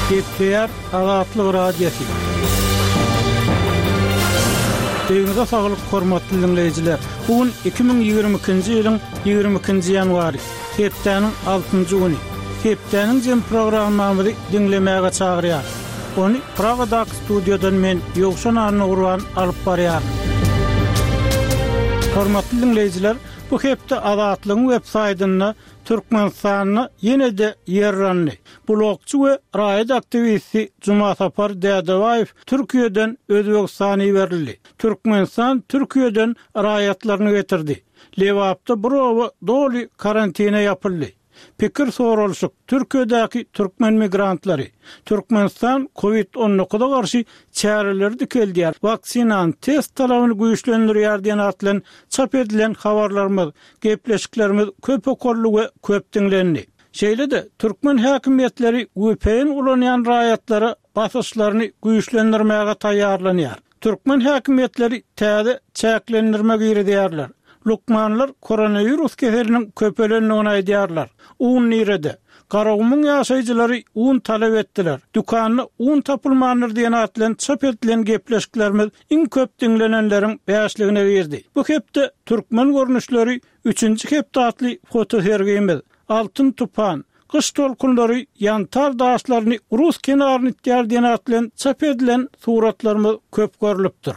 Gepleýär Azatlyk Radiosy. Öýüňize saglyk hormatly diňleýjiler. Bu gün 2022-nji ýylyň 22-nji ýanwary, hepdäniň altynjy güni. Hepdäniň jem programmamyzy diňlemäge çagyrýar. Ony Pragadaky studiýadan men Ýowşan Annagurban alyp barýaryn. Hormatly diňleýjiler, bu hepde Azatlygyň web saýtynda Türkmenistanda ýene-de ýer yrandy. Blogçy we raýat aktiwisti Jumasapar Dädebaýew Türkiýeden Özbegistana iberildi. Türkmenistan Türkiýeden raýatlaryny getirdi. Lebapda bir oba doly karantine ýapyldy. Pikir soralyşyk, Türkiýedäki türkmen migrantlary, Türkmenistan Covid 19 a garşy çäreleri dikeldýär, waksinany test talabyny güýçlendirýär diýen at bilen çap edilen habarlarymyz, gepleşiklerimiz köp okaldy we köp diňlendi. Şeýle-de, türkmen häkimiýetleri vpn ulanýan raýatlara basyşlaryny güýçlendirmäge taýýarlanýar. Türkmen häkimiýetleri täze çäklendirme girizýärler. Lukmanlar koronawirus keseliniň köpelendigini aýdýarlar. Un nirede? Garagumuň ýaşaýjylary un talap etdiler. Dükanda un tapylmandyr diýen at bilen çap edilen gepleşiklerimiz iň köp diňlenenleriň bäşligine girdi. Bu hepde Türkmen görnüşleri üçünji hepde atly fotosergimiz, Altyn tupan, Gyş tolkunlary ýantar daşlaryny rus kenaryna itýär diýen at bilen çap edilen suratlarymyz köp görlüpdir.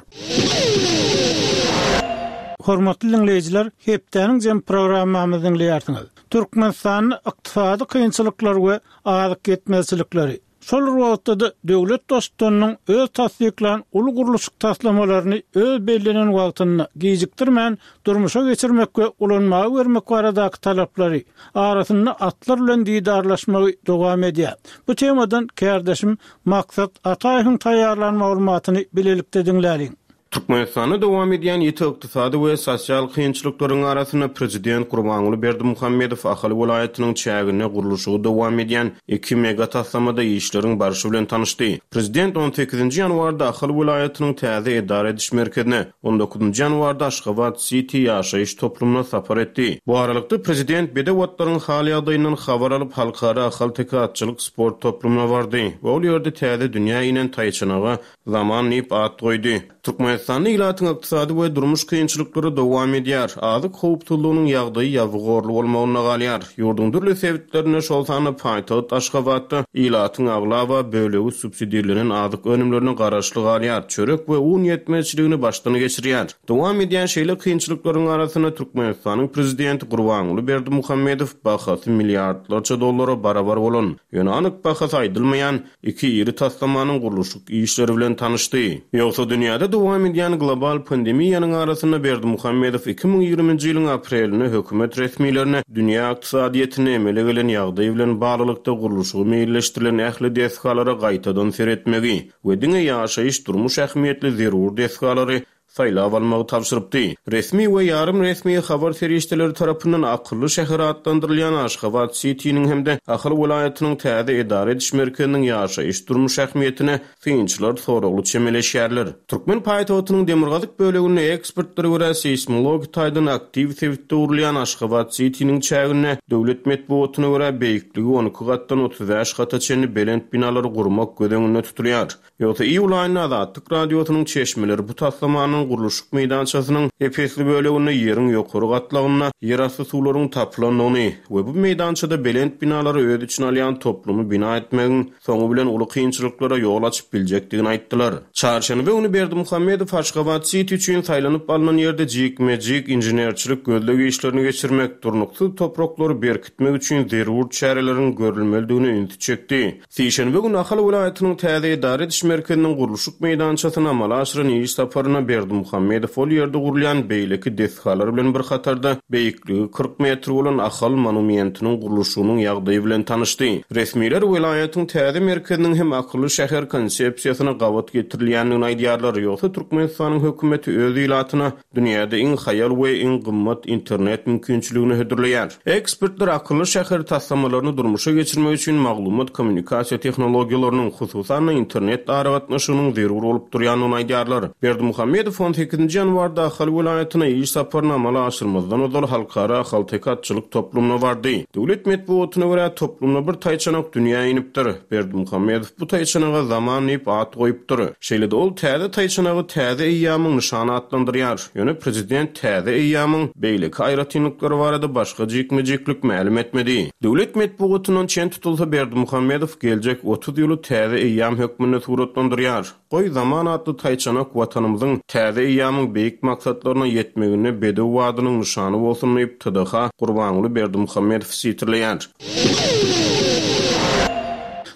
Hormatly diňleýjiler, hepdäniň jem programmamyzy diňleýärsiňiz. Türkmenistanda ykdysady kynçylyklar we azyk ýetmezçilikleri, Şol bir wagtda-da döwlet Baştutanynyň öz tassyklan uly gurluşyk taslamalaryny öz bellenen wagtynda, gijikdirmän durmuşa geçirmek we ulanmaga bermek baradaky talaplary arasynda atlar bilen didarlaşmagy dowam edýär. Bu temadan kärdeşim Maksat Ataýewiň taýýarlan maglumatyny bilelikde diňläliň. Türkmenistanda dowam edýän ýiti ykdysady we sosial kynçylyklaryň arasynda prezident Gurbanguly Berdimuhamedow Ahal welaýatynyň çäginde gurluşygy dowam edýän iki mega taslamada işleriň barşy bilen tanyşdy. Prezident on sekizinji ýanwarda Ahal welaýatynyň täze edara ediş merkezine, on dokuzynjy ýanwarda Aşgabat Siti ýaşaýyş toplumyna sapar etdi. Bu aralykda, prezident bedew atlaryň hal-ýagdaýyndan habar alyp, Halkara ahalteke atçylyk sport toplumyna bardy we ol ýerde täze dünýä inen taýçanaga Zaman diýip at goýdy. Türkmenistanda ilatyň ykdysady we durmuş kynçylyklary dowam edýär. Azyk howpsuzlygynyň ýagdaýy ýabygorly bolmagynda galýar. Ýurduň dürli sebitlerinde, şol sanda paýtagt Aşgabatda ilatyň aglaba bölegi subsidirlenen azyk önümlerine garaşly galýar, çörek we un ýetmezçiligini başdan geçirýär. Dowam edýän şeýle kynçylyklaryň arasynda Türkmenistanyň prezidenti Gurbanguly Berdimuhamedow bahasy milliardlarça dollara barabar bolan, ýöne anyk bahasy aýdylmaýan Iki iri taslamanyň gurluşyk işleri bilen tanyşdy. Ýogsa dünýäde dowam edýän global pandemiýanyň arasynda Berdimuhamedow 2020-nji ýylyň aprelinde hökümet resmilerine dünýä ykdysadyýetinde emele gelen ýagdaý bilen baglylykda gurluşygy meýilleşdirilen ähli desgalara gaýtadan seretmegi we diňe ýaşaýyş-durmuş ähmiýetli zerur desgalary saýlap almagy tabşyrypdy. Resmi we ýarym resmi habar serişdeleri tarapyndan akylly şäher atlandyrylýan Aşgabat Sitiniň hem-de Ahal welaýatynyň täze edara ediş merkeziniň ýaşaýyş-durmuş ähmiýetine synçylar soragly çemeleşýärler. Türkmen paýtagtynyň demirgazyk böleginde ekspertlere görä seýsmologik taýdan aktiw sebitde gurulýan Aşgabat Sitiniň çäginde döwlet metbugatyna görä beýikligi 12 gatdan 35 gata çenli belent binalary gurmak göz öňünde tutulýar. Ýogsa iýul aýynda Azatlyk Radiosynyň çeşmeleri bu taslamanyň gurluşyk meýdançasynyň ep-esli böleginde ýeriň ýokary gatlagynda ýerasty suwlaryň tapylandygyny we bu meýdançada belent binalary öz içine alýan toplumy bina etmegiň soňy bilen uly kynçylyklara ýol açyp biljekdigini aýtdylar. Çarşenbe güni Berdimuhamedow Aşgabat-siti üçin saýlanyp alnan ýerde jikme-jik inženerçilik gözleg işlerini geçirmek, durnuksyz topraklary berkitmek üçin zerur çäreleriň görülmelidigine ünsi çekdi. Sişenbe güni Ahal welaýatynyň täze edara ediş merkeziniň gurluşyk meýdançasyna amala aşyran iş saparynda Berdimuhamedow ol ýerde gurulýan beýleki desgalar bilen bir hatarda, beýikligi 40 metr bolan Ahal monumentiniň gurluşygynyň ýagdaýy bilen tanyşdy. Resmiler welaýatyň täze merkeziniň hem akylly şäher konsepsiýasyna gabat getirilýändigini aýdýarlar, ýogsa Türkmenistanyň hökümeti öz ilatyna Dünýäde iň haýal we iň gymmat internet mümkinçiligini hödürleýär. Ekspertler akylly şäher taslamalaryny durmuşa geçirmek üçin maglumat-kommunikasiýa tehnologiýalarynyň, hususan-da, internet aragatnaşygynyň zerur bolup durýandygyny aýdýarlar. Berdimuhamedow. Berdimuhamedow on sekizinji ýanwarda Ahal welaýatyna iş saparyny amala aşyrmazdan ozal Halkara ahalteke atçylyk toplumyna bardy. Döwlet metbugatyna görä, toplumda bir taýçanak dünýä inipdir. Berdimuhamedow bu taýçanaga Zaman diýip at goýupdyr. Şeýle-de ol täze taýçanagy täze eýýamyň nyşany atlandyrýar. Ýöne prezident täze eýýamyň beýleki aýratynlyklary barada başga jikme-jiklik mälim etmedi. Döwlet metbugatyndan çen tutulsa, Berdimuhamedow geljek 30 ýyly täze eýýam hökmünde suratlandyrýar. Goý, Zaman atly taýçanak Watanymyzyň täze eýýamyň beýik maksatlaryna ýetmeginde bedew badynyň nyşany bolsun diýip, TDH Gurbanguly Berdimuhamedowy sitirleýär.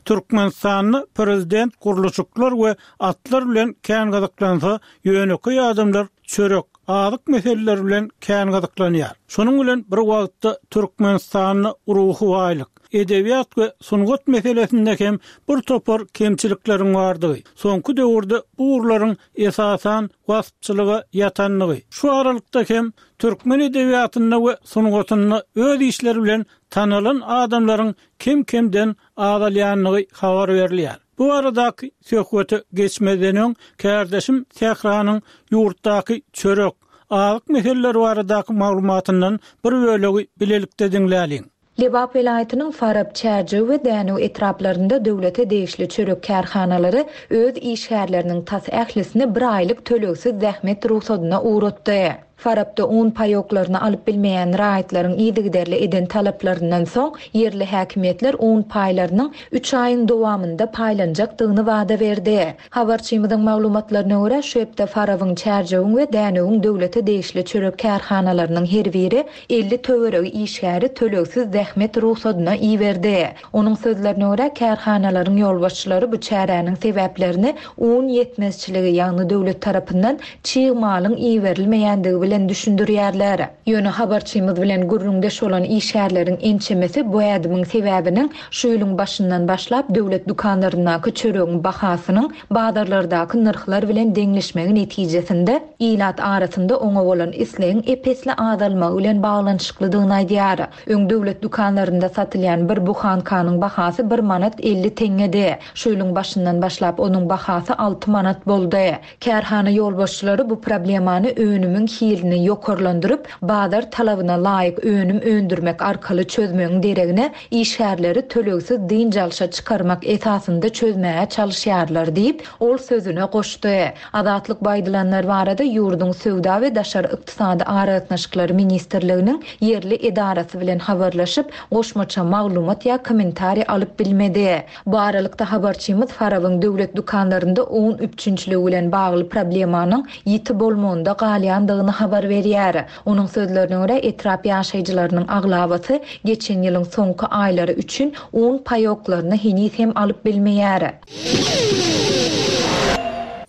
Türkmenistanda prezident gurluşyklar we atlar bilen kän gyzyklansa, ýönekeý adamlar çörek, azyk meseleleri bilen kän gyzyklanýar. Şonuň bilen bir wagtda Türkmenistanda ruhy baýlyk, edebiýat we sungat meselesinde hem bir topar kemçilikleriň bardygy, soňky döwürde bu ugurlaryň esasan waspçylyga ýatandygy, şu aralykda hem türkmen edebiýatynda we sungatynda öz işleri bilen tanalan adamlaryň kem-kemden azalýandygy habar berilýär. Bu baradaky söhbete geçmezden öň, kärdeşim Sähranyň ýurtdaky çörek, azyk meseleleri baradaky maglumatyndan bir bölegi bilelikde diňläliň. Lebap welaýatynyň Farap, Çärjew we Dänew etraplarynda döwlete degişli çörek kärhanalary öz işgärleriniň tas ählisini bir aýlyk tölegsiz zähmet rugsadyna ugratdy. Farapda un paýoklaryny alyp bilmeýän raýatlaryň yzygiderli eden talaplaryndan soň, ýerli häkimiýetler un paýlarynyň üç aýyň dowamynda paýlanjakdygyny wada berdi. Habarçymyzyň maglumatlaryna görä, şu hepde Farabyň, Çärjewiň we Dänewiň döwlete degişli çörek kärhanalarynyň her biri 50 töweregi işgäri tölegsiz zähmet rugsadyna iberdi. Onuň sözlerine görä, kärhanalaryň ýolbaşçylary bu çäräniň sebäplerini un ýetmezçiligi, ýagny döwlet tarapyndan çig malyň iberilmeýändigi bilen düşündirýärler. Ýöne habarçymyz bilen gürrüňdeş bolan işgärleriň ençemesi bu ädimiň sebäbiniň şu ýylyň başyndan başlap döwlet dükanlaryndaky çöregiň bahasynyň bazarlardaky nyrhlar bilen deňleşmegi netijesinde ilat arasynda oňa bolan islegiň ep-esli azalmagy bilen baglanyşyklydygyny aýdýar. Öň döwlet dükanlarynda satylýan bir buhankanyň bahasy bir manat 50 teňňedi. Şu ýylyň başyndan başlap onuň bahasy alty manat boldy. Kärhana ýolbaşçylary bu problemany önümiň hilini ýokarlandyryp, bazar talabyna laýyk önüm öndürmek arkaly çözmegiň deregine, işgärleri tölegsiz dynç alşa çykarmak esasynda çözmäge çalyşýarlar diýip, ol sözüne goşdy. Azatlyk bu aýdylanlar barada ýurduň Söwda we daşary ykdysady aragatnaşyklary ministrliginiň ýerli edarasy bilen habarlaşyp, goşmaça maglumat ýa kommentariý alyp bilmedi. Bu aralykda, habarçymyz Farabyň döwlet dükanlarynda un üpjünçiligi bilen bagly problemanyň ýiti bolmagynda galýandygyny habar berýär. Onuň sözlerine görä, etrap ýaşaýjylarynyň aglabasy geçen ýylyň soňky aýlary üçin un paýoklaryny heniz hem alyp bilmeýär.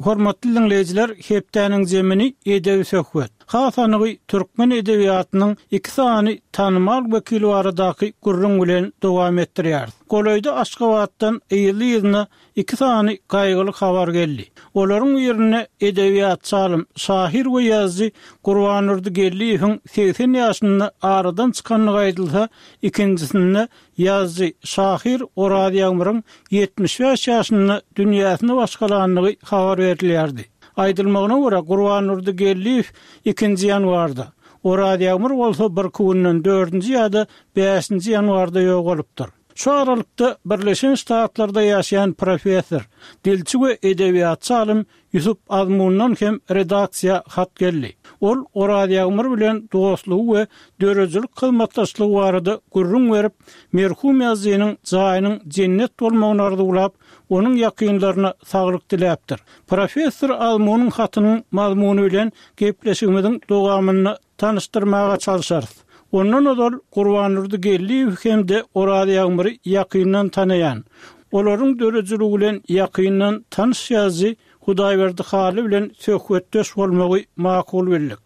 Hormatly diňleýjiler, hepdäniň zemini edebi söhbet. Has anygy türkmen edebiýatynyň iki sany tanymal wekili baradaky gürrüň bilen dowam etdirýäris. Golaýda Aşgabatdan yzly-yzyna iki sany gaýgyly habar geldi. Olaryň birinde edebiýatçy alym, şahyr we ýazyjy Gurbandurdy Geldiýewiň 80 ýaşynda aradan çykandygy aýdylsa, ikinjisinde Ýazyjy, şahyr Oraz Ýagmyryň 75 ýaşynda dünýäsini başgalandygy habar berilýärdi. Aýdylmagyna görä, Gurbandurdy Geldiýew ikinji ýanwarda, Oraz Ýagmyr bolsa birki günden dördünji ýa-da bäşinji ýanwarda ýogalypdyr. Şu aralykda Birleşen Ştatlarda ýaşaýan professor, dilçi we edebiýatçy alym Ýusup Azmundan hem redaksiýa hat geldi. Ol Oraz Ýagmyr bilen dostlugy we döredijilik hyzmatdaşlygy barada gürrüň berip, merhum ýazyjynyň jaýynyň jennet bolmagyny arzuwlap, onuň ýakynlaryna saglyk diläpdir. Professor Azmunyň hatynyň mazmuny bilen gepleşigimiziň dowamynda tanyşdyrmaga çalşarys. Ondan ozal Gurbandurdy Geldiýewi hem-de Oraz Ýagmyry ýakyndan tanaýan, olaryň döredijiligi bilen ýakyndan tanyş ýazyjy Hudaýberdi Hally bilen söhbetdeş bolmagy makul bildik.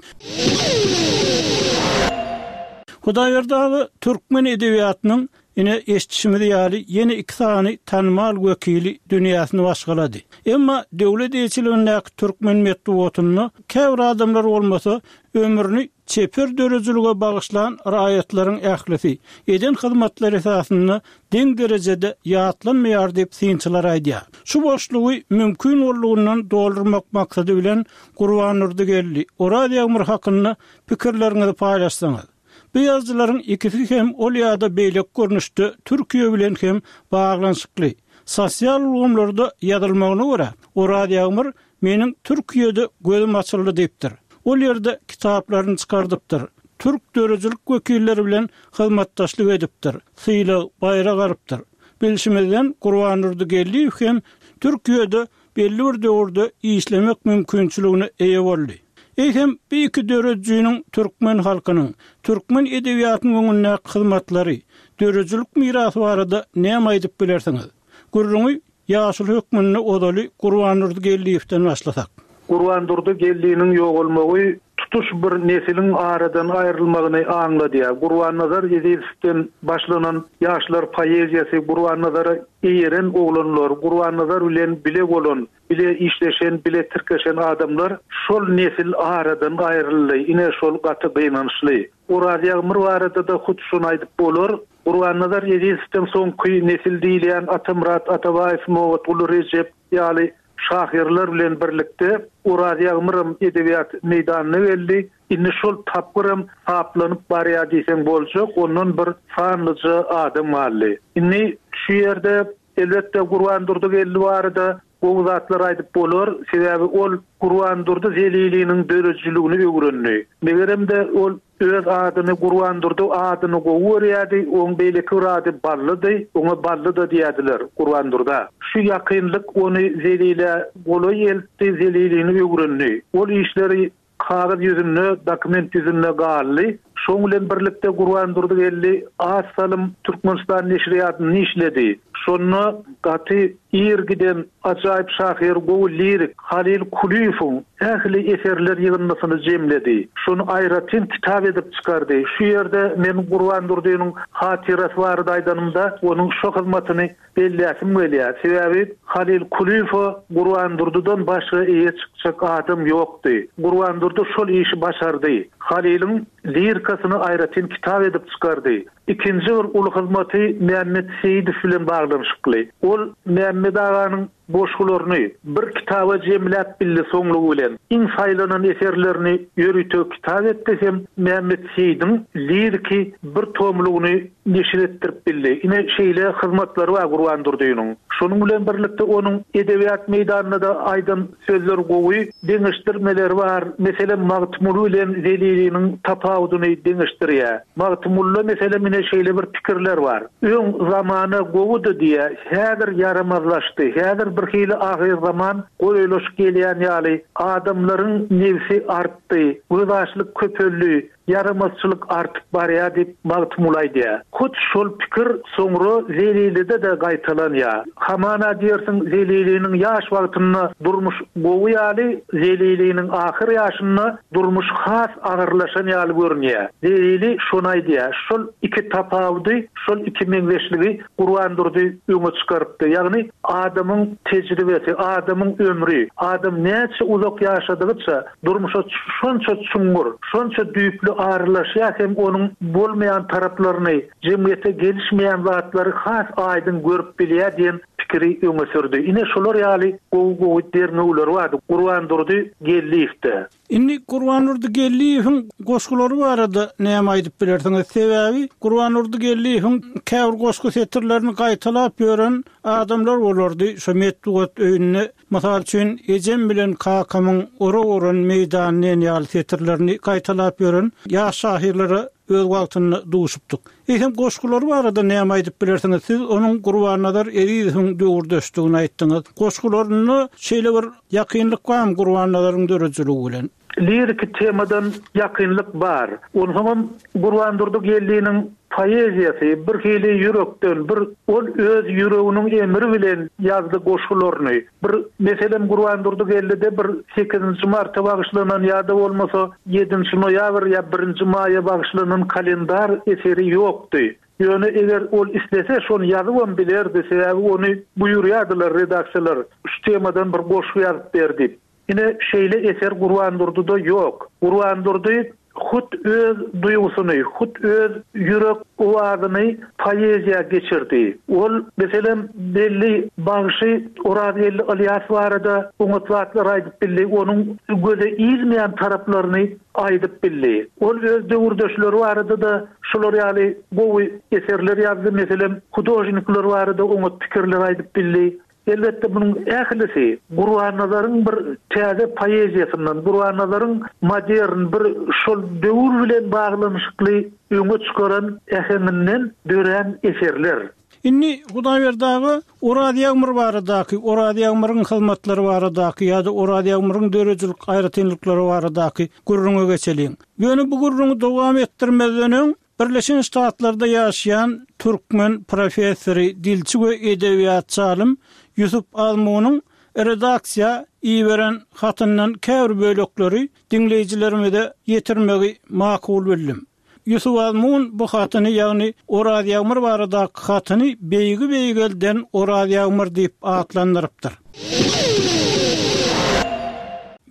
Hudaýberdi aga türkmen edebiýatynyň Ine, eşidişimiz ýaly, ýene iki sany tanymal wekili dünýäsini başgalady. Emma döwlet eýeçiligindäki türkmen metbugatynda käbir adamlar bolmasa, ömrüni. çeper döredijilige bagyşlan raýatlaryň ählisi, eden hyzmatlary esasynda deň derejede ýatlanmaýar diýip synçylar aýdýar. Şu boşlugy mümkin boldugyndan doldurmak maksady bilen Gurbandurdy Geldi, Oraz Ýagmyr hakynda pikirleriňizi paýlaşsaňyz. Bu ýazyjylaryň ikisi hem ol ýa-da beýleki görnüşde Türkiýe bilen hem baglanyşykly. Sosial ulgamlarda ýazylmagyna görä, Oraz Ýagmyr Meniň Türkiýede gözüm açyldy diýipdir. Ol ýerde kitaplaryny çykardypdyr. Türk döredijilik wekilleri bilen hyzmatdaşlyk edipdir. Sylag, baýrak alypdyr. Bilşimizden Gurbandurdy Geldiýew hem Türkiýede belli bir döwürde işlemek mümkinçiligine eýe boldy. Eýsem, bu iki döredijiniň türkmen halkynyň, türkmen edebiýatynyň öňündäki hyzmatlary, döredijilik mirasy barada näme aýdyp bilersiňiz? Gürrüňi Ýaşuly hökmünde ozaly Gurbandurdy Geldiýewden başlasak. Gurbandurdy Geldiniň ýogalmagy tutuş bir nesiliň aradan aýrylmagyny aňladýar. Gurbannazar Ezizowden başlanan ýaşlar poeziýasy, Gurbannazara eýeren oglanlar, Gurbannazar bilen bile bolan, bile işleşen, bile tirkeşen adamlar, şol nesil aradan aýryldy. Ine, şol gaty gynançly. Oraz Ýagmyr barada-da hut şuny aýdyp bolar. Gurbannazar Ezizowdan soňky nesil diýilýän Atamyrat Atabaýew, Nobatguly Rejep ýaly şahyrlar bilen birlikde Oraz Ýagmyram edebiýat meýdanyna geldi. Indi şol tapgyram saplanyp barýar diýseň boljak, ondan bir sanlyja adam galdy. Indi şu ýerde, elbetde, Gurbandurdy Geldi barada gowy zatlar aýdyp bolar, sebäbi ol Gurbandurdy Zeliliniň döredijiligini öwrendi. Megerem-de, ol Öz adyny Gurbandurdy adyny gowy görýärdi, oň beýleki bir ady Ballydy, oňa Bally-da diýerdiler Gurbandurda. Şu ýakynlyk ony Zelilä golaý eltdi, Zelilini öwrendi. Ol işleri kagyz ýüzünde, dokument ýüzünde galdy. Şoň bilen birlikde Gurbandurdy Geldi az salym Türkmenistan neşirýatynda işledi. Şonda gaty ir giden ajaýyp şahyr, gowy lirik Halyl Kulyýewiň ähli eserler ýygyndysyny jemledi. Şony aýratyn kitap edip çykardy. Şu ýerde men Gurbandurdynyň hatyrasy barada aýdanymda, onuň şo hyzmatyny belläsim gelýär. Sebäbi Halyl Kulyýewe Gurbandurdydan başga eýe çykjak adam ýokdy. Gurbandurdy şol işi başardy. Halylyň lirikasyny aýratyn kitap edip çykardy. Ikinji bir uly hyzmaty Mämmet Seýidow bilen baglanyşykly. Ol Mämmet aganyň goşgularyny bir kitaba jemläp bildi soňlugy bilen iň saýlanan eserlerini ýörite kitap etdi hem Mämmet Seýidiň liriki bir tomlugyny neşir etdirip bildi. Ine şeýle hyzmatlary bar Gurban Durdynyň. Şonuň bilen birlikde onuň edebiýat meýdanynda-da aýdan sözleri gowy deňeşdirmeleri bar. Meselem Magtymguly bilen Zeliliniň tapawudyny deňeşdirýär. Magtymgulyda meselem ine şeýle bir pikirler bar. Öň zamana gowudy diýýär, häzir ýaramazlaşdy, häzir birhili ahyrzaman golaýlaşyp gelýän ýaly, adamlaryň nebsi artdy, gözbaşlyk köpeldi, ýaramazçylyk artyp barýar diýip Magtymguly aýdýar. Hut şol pikir soňra Zelilide-de gaýtalanýar. Hamana diýersiň Zeliliniň ýaş wagtynda durmuş gowy ýaly, Zeliliniň ahyr ýaşynda durmuş has agyrlaşan ýaly görünýär. Zelili şony aýdýar. Şol iki tapawudy, şol iki meňzeşligi Gurbandurdy öňe çykarypdy. Ýagny adamyň tejribesi, adamyň ömri, adam näçe uzak ýaşadygyça durmuşa şonça çuňňur, şonça düýpli aralaşýar hem onuň bolmaýan taraplaryny, jemgyýete gelişmeýän zatlary has aýdyň görüp bilýär diýen pikiri öňe sürdi. Ine şolar ýaly gowy-gowy derňewleri bardy Gurbandurdy Geldiýewde. Indi Gurbandurdy Geldiýewiň goşgulary barada näme aýdyp bilersiňiz? Sebäbi Gurbandurdy Geldiýewiň käbir goşgy setirlerini gaýtalap ýören adamlar bolardy şo metbugat öýünde. Mysal üçin, Ejem bilen kakamyň orak oran meýdany diýen ýaly setirlerini gaýtalap ýören ýaş şahyrlara öz wagtynda duşupdyk. Eýsem, goşgulary barada näme aýdyp bilersiňiz? Siz onuň Gurbannazar Ezizowyň döwürdeşdigini aýtdyňyz. Goşgularynda şeýle bir ýakynlyk barmy Gurbannazaryň döredijiligi bilen? Liriki temadan ýakynlyk bar. Onsoňam Gurbandurdy Geldiniň poeziýasy birhili ýürekden, bir ol öz ýüreginiň emri bilen ýazdy goşgularyny. Bir, meselem, Gurbandurdy Geldide bir sekizinji marta bagyşlanan ýa-da bolmasa ýedinji noýabr ýa birinji maýa bagyşlanan kalendar eseri ýokdy. Ýöne eger ol islese şony ýazybam bilerdi, sebäbi ony buýurýardylar redaksiýalar, şu temadan bir goşgy ýazyp ber diýip. Ine, şeýle eser Gurbandurdyda ýok. Gurbandurdy. hut öz duýgusyny, hut öz ýürek owazyny poeziýa geçirdi. Ol, meselem, belli bagşy Orazgeldi Ylýas barada oňat zatlar aýdyp bildi, onuň göze ilmeýän taraplaryny aýdyp bildi. Ol öz döwürdeşleri barada-da şular ýaly gowy eserler ýazdy, meselem, hudožnikler barada oňat pikirler aýdyp bildi. Elbetde, munuň ählisi Gurbannazaryň bir täze poeziýasyndan, Gurbannazaryň modern bir şol döwür bilen baglanyşykly öňe çykaran äheňinden dörän eserler. Indi Hudaýberdi aga Oraz Ýagmyr baradaky, Oraz Ýagmyryň hyzmatlary baradaky ýa-da Oraz Ýagmyryň döredijilik aýratynlyklary baradaky gürrüňe geçeliň. Ýöne bu gürrüňi dowam etdirmezden öň, Birleşen Ştatlarda ýaşaýan türkmen professory, dilçi we edebiýatçy alym Ýusup Azmunyň redaksiýa iberen hatyndan käbir bölekleri diňleýjilerimize ýetirmegi makul bildim. Ýusup Azmun bu hatyny, ýagny Oraz Ýagmyr baradaky hatyny Beýigi beýgelden Oraz Ýagmyr diýip atlandyrypdyr.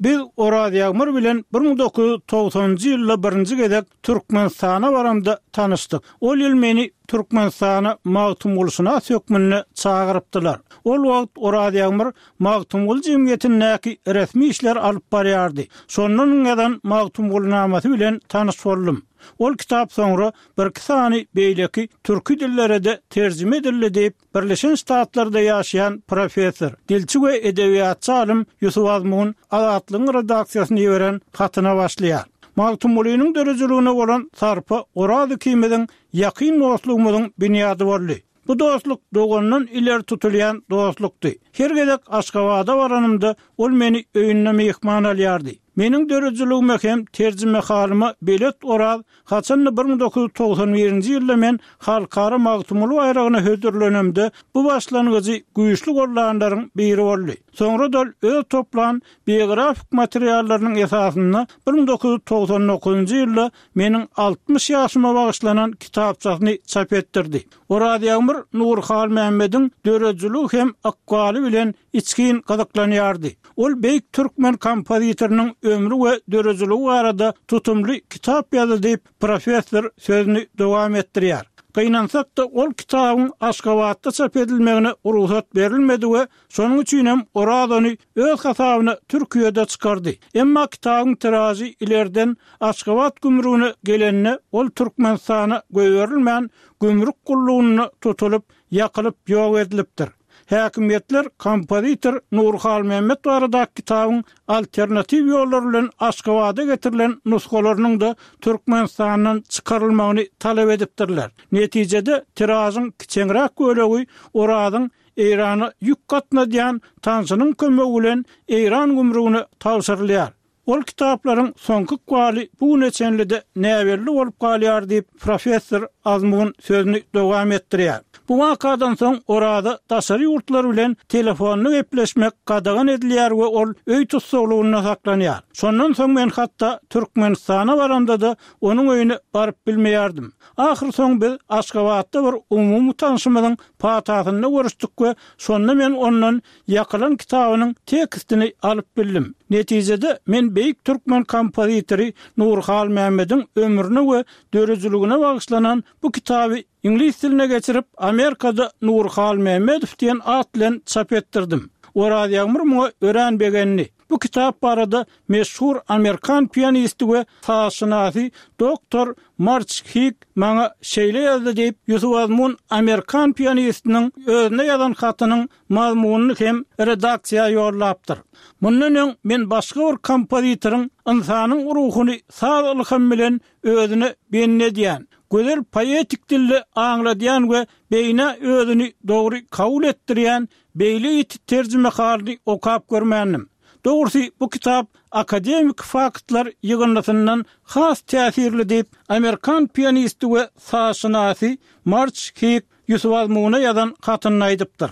Biz Oraz Ýagmyr bilen 1990-njy ýylda birinji gezek Türkmenistana baramda tanyşdyk. Ol ýyl meni Türkmenistana magtymgulyşynas hökmünde çagyrypdylar. Ol wagt Oraz Ýagmyr Magtymguly jemgyýetindäki resmi işleri alyp barýardy. Şonda onuň ýazan Magtymgulynamasy bilen tanyş boldum. Ol kitap soňra birki sany beýleki türki dillere-de terjime edildi diýip, Birleşen Ştatlarda ýaşaýan professor, dilçi we edebiýatçy alym Ýusup Azmun Azatlygyň redaksiýasyna iberen hatyna başlaýar. Magtymgulynyň döredijiligine bolan sarpa Oraz ikimiziň ýakyn dostlugymyzyň binýady boldy. Bu dostluk dogandan ileri tutulýan dostlukdy. Her gezek Aşgabada baranymda ol meni öýünde myhman alýardy. Meniň döredijiligime hem terjimehalyma belet Oraz Haçan-da 1991-nji ýylda men Halkara Magtymguly baýragyna hödürlenemde, bu başlangyjy güýçli goldanlaryň biri boldy. Soňra-da ol öz toplan biografik materiallarynyň esasynda 1999-njy ýylda meniň 60 ýaşyma bagyşlanan kitapçasyny çap etdirdi. Oraz Ýagmyr Nury Halmämmediň döredijiligi hem ykbaly bilen içgin gyzyklanýardy. Ol beýik türkmen kompozitorynyň ömri we döredijiligi barada tutumly kitap ýazdy diýip, professor sözüni dowam etdirýär. Gynansak-da, ol kitabyň Aşgabatda çap edilmegine rugsat berilmedi we şonuň üçin hem Oraz ony öz hasabyna Türkiýede çykardy. Emma kitabyň tiražy ilerden Aşgabat gümrügine gelende, ol Türkmenistana goýberilmän, gümrük gullugynda tutulyp, ýakylyp ýok edilipdir. Häkimiýetler kompozitor Nury Halmämmet baradaky kitabyň alternatiw ýollar bilen Aşgabada getirilen nusgalarynyň-da Türkmenistandan çykarylmagyny talap edipdirler. Netijede, tiražyň kiçeňräk bölegi Orazyň Eýrana ýük gatnadýan tanşynyň kömegi bilen Eýran gümrügine tabşyrylýar. Ol kitaplaryň soňky ykbaly bu güne çenli-de näbelli bolup galýar diýip, professor Azmun sözüni dowam etdirýär. Bu wakadan soň Oraza daşary ýurtlar bilen telefonda gepleşmek gadagan edilýär we ol öý tussaglygynda saklanýar. Şondan soň men hatda Türkmenistana baramda-da onuň öýüne baryp bilmeýärdim. Ahyrsoňy biz Aşgabatda bir umumy tanşymyzyň patasynda görüşdik we şonda men ondan Ýakylan kitabynyň tekstini alyp bildim. Netijede, men beýik türkmen kompozitory Nury Halmämmediň ömrüne we döredijiligine bagyşlanan bu kitaby iňlis diline geçirip, Amerikada Nury Halmämmedow diýen at bilen çap etdirdim. Oraz Ýagmyr muňa örän begendi. Bu kitap barada meşhur amerikan pianisti we sazşynasy doktor Març Hik maňa şeýle ýazdy diýip, Ýusup Azmun amerikan pianistiniň özüne ýazan hatynyň mazmunyny hem redaksiýa ýollapdyr. Mundan öň men başga bir kompozitoryň ynsanyň ruhuny saz ylhamy bilen özüne bendi edýän, gözel poetik dilde aňladýan we beýnä özüni dogry kabul etdirýän beýle ýiti terjimehalyny okap görmändim. Dogrusy, bu kitap akademiki faktlar ýygyndysyndan has täsirli diýip, amerikan pianisti we sazşynasy Març Hik Ýusup Azmuna ýazan hatynda aýdypdyr.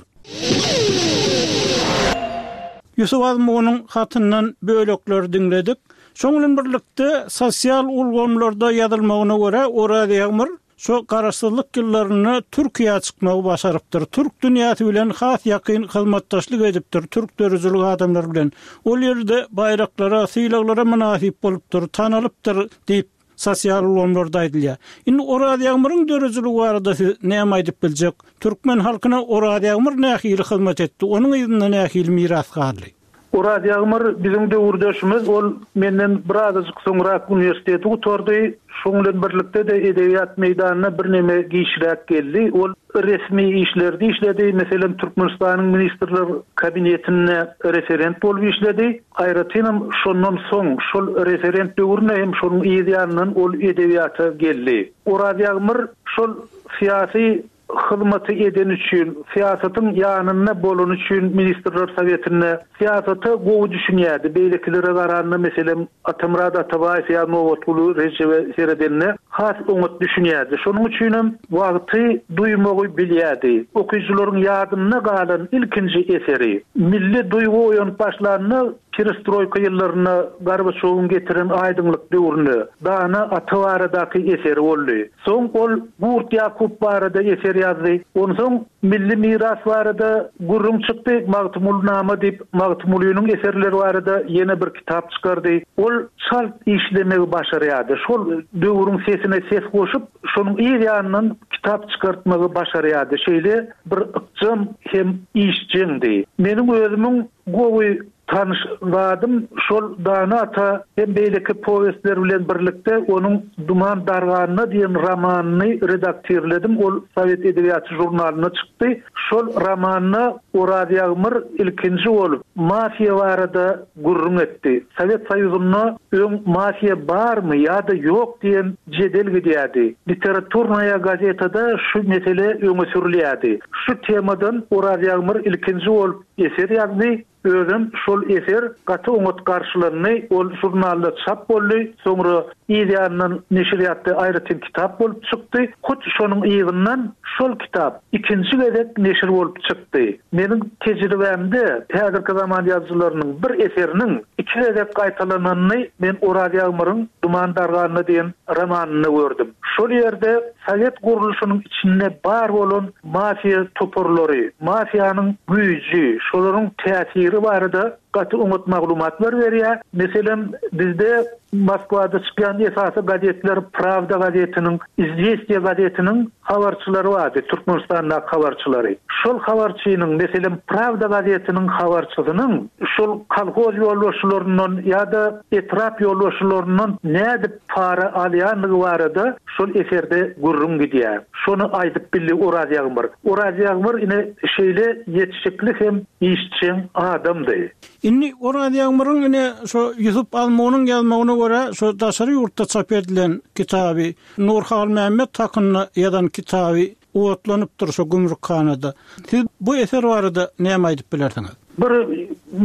Ýusup Azmunyň hatyndan bölekleri diňledik. Şoň bilen birlikde, sosial ulgamlarda ýazylmagyna görä, Oraz Ýagmyr şo garaşsyzlyk ýyllarynda Türkiýä çykmagy başarypdyr. Türk dünýäsi bilen has ýakyn hyzmatdaşlyk edipdir, türk döredijilik adamlary bilen. Ol ýerde baýraklara, sylaglara mynasyp bolupdyr, tanalypdyr diýip. sosial ulgamlarda aýdylýar. Indi Oraz Ýagmyryň döredijiligi barada siz näme aýdyp biljek? Türkmen halkyna Oraz Ýagmyr nähili hyzmat etdi, onuň yzynda nähili miras galdy? Oraz Ýagmyr biziň döwürdeşimiz, ol menden birazajyk soňrak uniwersiteti gutardy. Şoň bilen birlikde-de edebiýat meýdanyna birneme giçräk geldi. Ol resmi işlerde işledi, meselem, Türkmenistanyň Ministrler Kabinetinde referent bolup işledi. Aýratynam şondan soň, şol referent döwründe hem şonuň yz ýanyndan ol edebiýata geldi. Oraz Ýagmyr şol syýasy hyzmaty edeni üçin, syýasatyň ýanynda bolany üçin Ministrler Sowetinde syýasata gowy düşünýärdi. Beýlekilere garanda, meselem, Atamyrat Atabaýew ýa Nobatguly Rejebe seredende has oňat düşünýärdi. Şonuň üçinem wagty duýmagy bilýärdi. Okyjylaryň ýadynda galan ilkinji eseri, milli duýgy oýanyp başlanda, perestroýka ýyllarynda Gorbaçýowyň getiren aýdyňlyk döwründe Dana ata baradaky eseri boldy. Soň ol Gurt Ýakup barada eser ýazdy. Onsoň milli miras barada gürrüň çykdy, Magtymgulynama diýip, Magtymgulynyň eserleri barada ýene bir kitap çykardy. Ol çalt işlemegi başarýardy. Şol döwrüň sesine ses goşup, şonuň yz ýanyndan kitap çykartmagy başarýardy. Şeýle bir ykjam hem işjeňdi. Meniň özümiň gowy Tanyş zadym şol Dana ata hem beýleki powestler bilen birlikde onuň Duman darganda diýen romanyny redaktirledim, ol Sowet edebiýaty žurnalynda çykdy. Şol romanda Oraz Ýagmyr ilkinji bolup mafiýa barada gürrüň etdi. Sowet Soýuzynda öň mafiýa barmy ýa-da ýok diýen jedel gidýärdi. Literaturnaýa gazetada şu mesele öňe sürülýärdi. Şu temadan Oraz Ýagmyr ilkinji bolup eser ýazdy. Özem şol eser gaty oňat garşylandy, ol žurnalda çap boldy, soňra yz ýanyndan neşirýatda aýratyn kitap bolup çykdy. Hut şonuň yzyndan şol kitap ikinji gezek neşir bolup çykdy. Meniň tejribämde häzirki zaman ýazyjylarynyň bir eseriniň iki gezek gaýtalananyny men Oraz Ýagmyryň Duman darganda diýen romanynda gördüm. Şol ýerde sowet gurluşynyň içinde bar bolan Mafiýa toparlary, mafiýanyň güýji, şolaryň täsiri barada gaty oňat maglumatlar berýär. Meselem, bizde Moskwada çykýan esasy gazetler Prawda gazetiniň, Izwestiýa gazetiniň habarçylary bardy, Türkmenistandaky habarçylary. Şol habarçynyň, meselem, Prawda gazetiniň habarçysynyň şol kolhoz ýolbaşçylaryndan ýa-da etrap ýolbaşçylaryndan nädip para alýandygy barada şol eserde gürrüň gidýär. Şony aýdyp bildi Oraz Ýagmyr. Oraz Ýagmyr ine şeýle ýetişikli hem işjeň adamdy. Indi Oraz Ýagmyryň ine şo Ýusup Azmunyň ýazmagyna görä şo daşary ýurtda çap edilen kitaby, Nur Halmämmet hakynda ýazan kitaby otlanypdyr şo gümrükhanada. Siz bu eser barada näme aýdyp bilersiňiz? Bir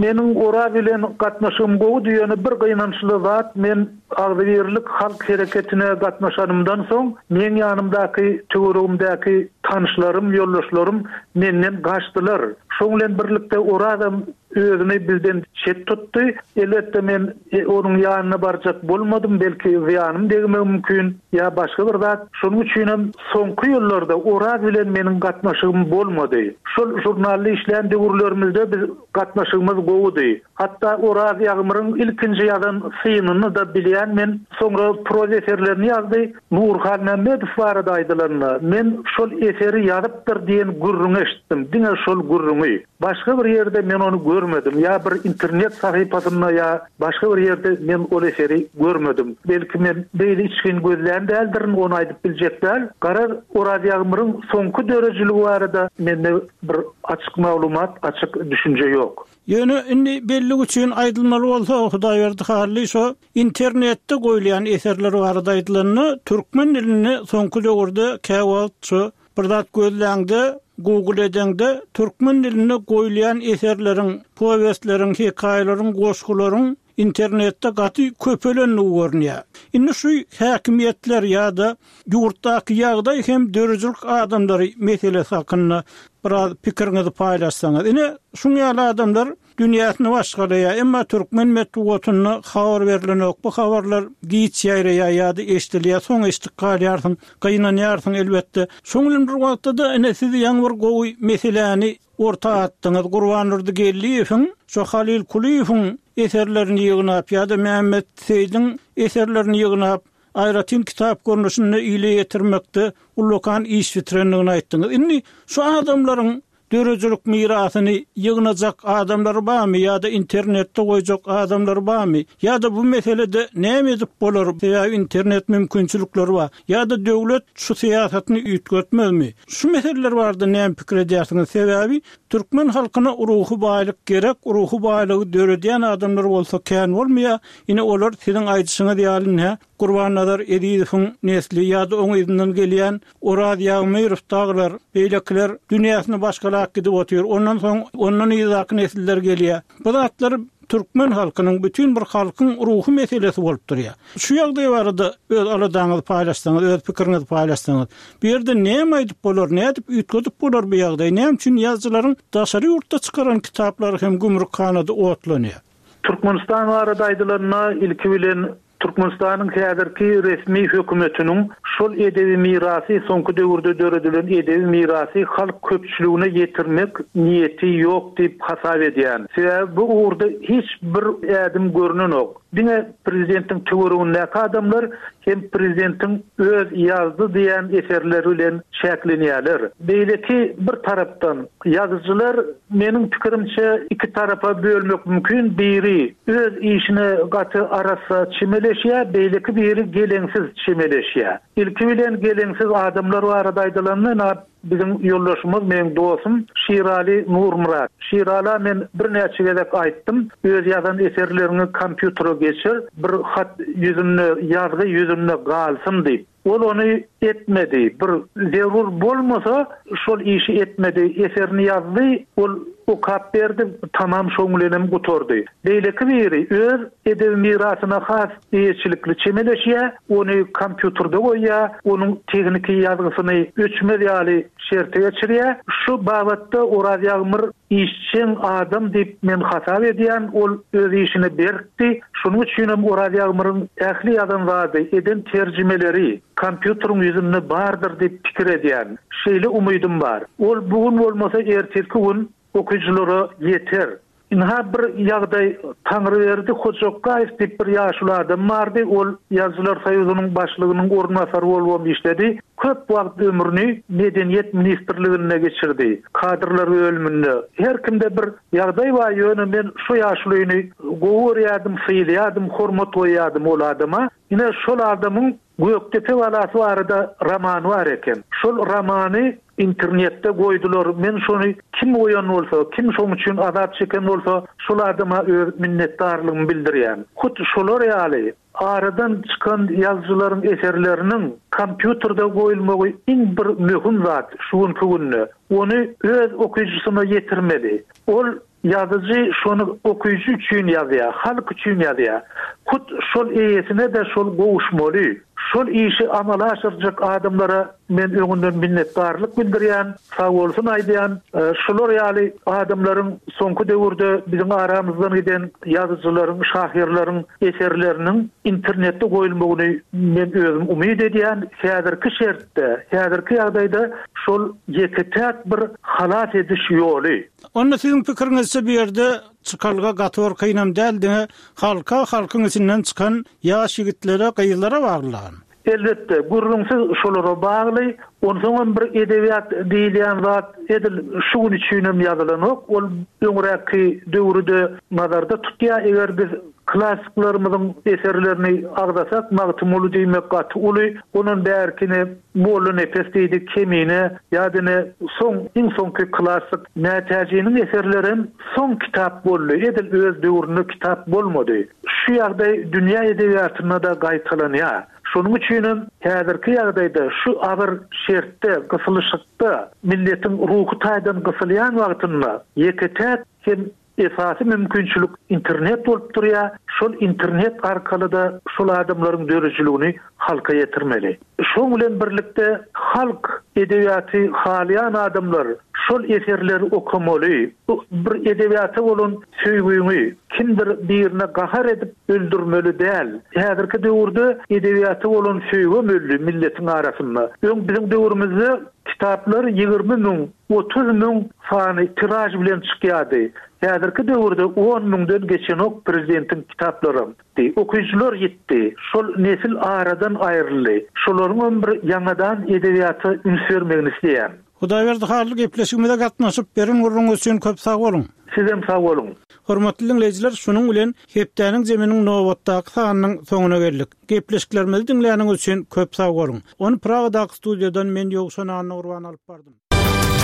meniň Oraz bilen gatnaşygym gowudy, ýöne bir gynançly zat men Agzybirlik halk hereketine gatnaşanymdan soň meň ýanymdaky töweregimdäki tanyşlarym, ýoldaşlarym menden gaçdylar. Şoň bilen birlikde Orazam özüni bizden çet tutdy. Elbetde men onuň ýanyna barjak bolmadym, belki zyýanym degmegi mümkin ýa başga bir zat. Şonuň üçinem soňky ýyllarda Oraz bilen meniň gatnaşygym bolmady. Şol žurnalda işlän döwürlerimizde biz gatnaşygymyz gowudy. Hatda Oraz Ýagmyryň ilkinji ýazan synyny-da bilýän men. Soňra proza eserlerini ýazdy. Nury Halmämmedow barada aýdylanda, men şol eseri ýazypdyr diýen gürrüňi eşitdim, diňe şol gürrüňi. Başga bir ýerde men ony görmedim, ýa bir internet sahypasynda ýa başga bir ýerde men ol eseri görmedim. Belki men beýle içgin gözlän däldirin, ony aýdyp biljek däl. Garaz, Oraz Ýagmyryň soňky döredijiligi barada mende bir açyk maglumat, açyk düşünje ýok. Ýöne indi bellik üçin aýdylmaly bolsa, Hudaýberdi Hally şo internetde goýulýan eserler barada aýdylanda, türkmen dilinde soňky döwürde käwagt şo bir zat gözläňde, google edeňde türkmen dilinde goýulýan eserleriň, powestleriň, hekaýalaryň, goşgularyň internetde gaty köpelendigi görünýär. Indi şu häkimiýetler ýa-da ýurtdaky ýagdaý hem döredijilik adamlary meselesi hakynda biraz pikiriňizi paýlaşsaňyz. Ine, şuň ýaly adamlar dünýäsini başgalaýar, emma türkmen metbugatynda habar berlenok, bu habarlar giç ýaýraýar ýa-da eşidilýär, soň eşidip galýarsyň, gynanýarsyň elbetde. Şoň bilen bir wagtda-da ine siz ýaňy bir gowy meseläni orta atdyňyz. Gurbandurdy Geldiýewiň şo Halyl Kulyýewiň eserlerini ýygnap ýa-da Mämmet Seýdiň eserlerini ýygnap. aýratyn kitap görnüşinde ile ýetirmekde ullakan iş bitirendigini aýtdyňyz. Indi şu adamlaryň döredijilik mirasyny ýygnajak adamlar barmy ýa-da internetde goýjak adamlar barmy? Ýa-da bu meselede näme edip bolar, sebäbi internet mümkinçilikleri bar. Ýa-da döwlet şu syýasatyny üýtgetmezmi? Şu meseleler barada näme pikir edýärsiňiz? Sebäbi türkmen halkyna ruhy baýlyk gerek, ruhy baýlygy döredýän adamlar bolsa kän bolmaýar. Ine olar siziň aýdyşyňyz ýaly ine Gurbannazar Ezizowyň nesli ýa-da oň yzyndan gelýän Oraz Ýagmyrow dagylar, beýlekiler dünýäsini başgalap gidip otyr. Ondan soň ondan yzdaky nesiller gelýär. Bu zatlar türkmen halkynyň, bütin bir halkyň ruhy meselesi bolup durýar. Şu ýagdaý barada öz aladaňyzy paýlaşsaňyz, öz pikiriňizi paýlaşsaňyz. Bu ýerde näme aýdyp bolar, nädip üýtgedip bolar bu ýagdaýy? Näme üçin ýazyjylaryň daşary ýurtda çykaran kitaplary hem gümrükhanada otlanýar? Türkmenistan barada aýdylanda, ilki bilen Türkmenistanyň häzirki resmi hökümetiniň şol edebi mirasy, soňky döwürde döredilen edebi mirasy halk köpçüligine ýetirmek niýeti ýok diýip hasap edýän. Sebäbi bu ugurda hiç bir ädim görnenok. Diňe prezidentiň töweregindäki adamlar hem prezidentiň öz ýazdy diýen eserleri bilen çäklenýärler. Beýleki bir tarapdan, ýazyjylar meniň pikirimçe iki tarapa bölmek mümkin, biri öz işine gaty arassa çemeleşýär, beýleki biri geleňsiz çemeleşýär. Ilki bilen geleňsiz adamlar barada aýdylanda, ynha, biziň ýoldaşymyz, meň dostum Şiraly Nurmyrat. Şirala men birnäçe gezek aýtdym, öz ýazan eserleriňi kompýutere geçir, bir hat ýüzünde, ýazgy ýüzünde galsyn diýip. Ol ony etmedi. Bir zerur bolmasa, şol işi etmedi. Eserini ýazdy, ol okap berdi, tamam şoň bilenem gutardy. Beýleki biri öz edebi mirasyna has eýeçilikli çemeleşýär, ony kompýuterde goýýar, onuň tehniki ýazgysyny öçmez ýaly şerte geçirýär. Şu babatda Oraz Ýagmyr işjeň adam diýip men hasap edýän, ol öz işine berkdi. Şonuň üçinem Oraz Ýagmyryň ähli ýazan zady, eden terjimeleri kompýuteriň ýüzünde bardyr diýip pikir edýän. Şeýle umydym bar. Ol bu gün bolmasa ertirki gün okyjylara ýeter. Ynha bir ýagdaý Taňryberdi Hojakgaýew diýip bir ýaşuly adam bardy, ol Ýazyjylar soýuzynyň başlygynyň orunbasary bolubam işledi. Köp wagt ömrüni Medeniýet ministrliginde geçirdi, kadrlar bölüminde. Her kimde bir ýagdaý bar, ýöne men şu ýaşulyny gowy görýärdim, sylaýardym, hormat goýýardym ol adama. Ine şol adamyň Gökdepe galasy barada romany bar eken. Şol romany internetde goýdular. Men şony kim goýan bolsa, kim şoň üçin azap çeken bolsa, şol adama öz minnetdarlygymy bildirýän. Hut şolar ýaly aradan çykan ýazyjylaryň eserleriniň kompýuterde goýulmagy iň bir möhüm zat şu günki günde. Ony öz okyjysyna ýetirmeli. Ol Ýazyjy şony okyjy üçin ýazýar, halk üçin ýazýar. Hut şol eýesine-de şol gowuşmaly. Şol işi amala aşyrjak adamlara men öňünden minnetdarlyk bildirýän, sagbolsun aýdýan. Şular ýaly adamlaryň soňky döwürde biziň aramyzdan giden ýazyjylaryň, şahyrlaryň eserleriniň internetde goýulmagyny men özüm umyt edýän. Häzirki şertde, häzirki ýagdaýda şol ýeke-täk bir halas ediş ýoly. Onda siziň pikiriňizçe bu ýerde çykalga gaty bir kynam däl diňe halka halkyň içinden çykan ýaş ýigitlere gyzlara baglylagyny. Elbetde, gürrüňsiz şolara bagly. Onsoňam bir edebiýat diýilýän zat edil şu gün üçinem ýazylanok. Ol öňräkki döwri-de nazarda tutýar. Eger biz klassyklarymyzyň eserlerini agzasak, Magtymguly diýmek gaty uly, ondan bärkini Mollanepes diýdi, Kemine, ýa-da ine, soň, iň soňky klassyk Mätäjiniň eserlerem soň kitap boldy, edil öz döwründe kitap bolmady. Şu ýagdaý dünýä edebiýatynda-da gaýtalanýar. Şonuň üçinem häzirki ýagdaýda şu agyr şertde, gysylyşykda, milletiň ruhy taýdan gysylýan wagtynda ýeke-täk hem Esasy mümkinçilik internet bolup durýar, şol internet arkaly-da şol adamlaryň döredijiligini halka ýetirmeli. Şoň bilen birlikde halk edebiýaty halaýan adamlar şol eserleri okamaly. Bu bir edebiýata bolan söýgüňi kimdir birine gahar edip öldürmeli däl. Häzirki döwürde edebiýata bolan söýgem öldi milletiň arasynda. Öň biziň döwrümizde. Kitaplar 20 müň, 30 müň sany tiraž bilen çykýardy. Häzirki döwürde on müňden geçenok prezidentiň kitaplaram. Okyjylar ýitdi. Şol nesil aradan aýryldy. Şolaryňam bir ýaňadan edebiýata üns bermegini isleýän. Hudaýberdi Hally gepleşigimize gatnaşyp beren gürrüňiňiz üçin köp sag boluň. Sizem sag boluň. Hormatly diňleýjiler şunuň bilen hepdäniň zeminiň nobatdaky sanynyň soňuna geldik. Gepleşiklerimizi diňläniňiz üçin köp sag boluň. Ony Pragadaky studiýadan men Ýowşan Annagurban alyp bardym.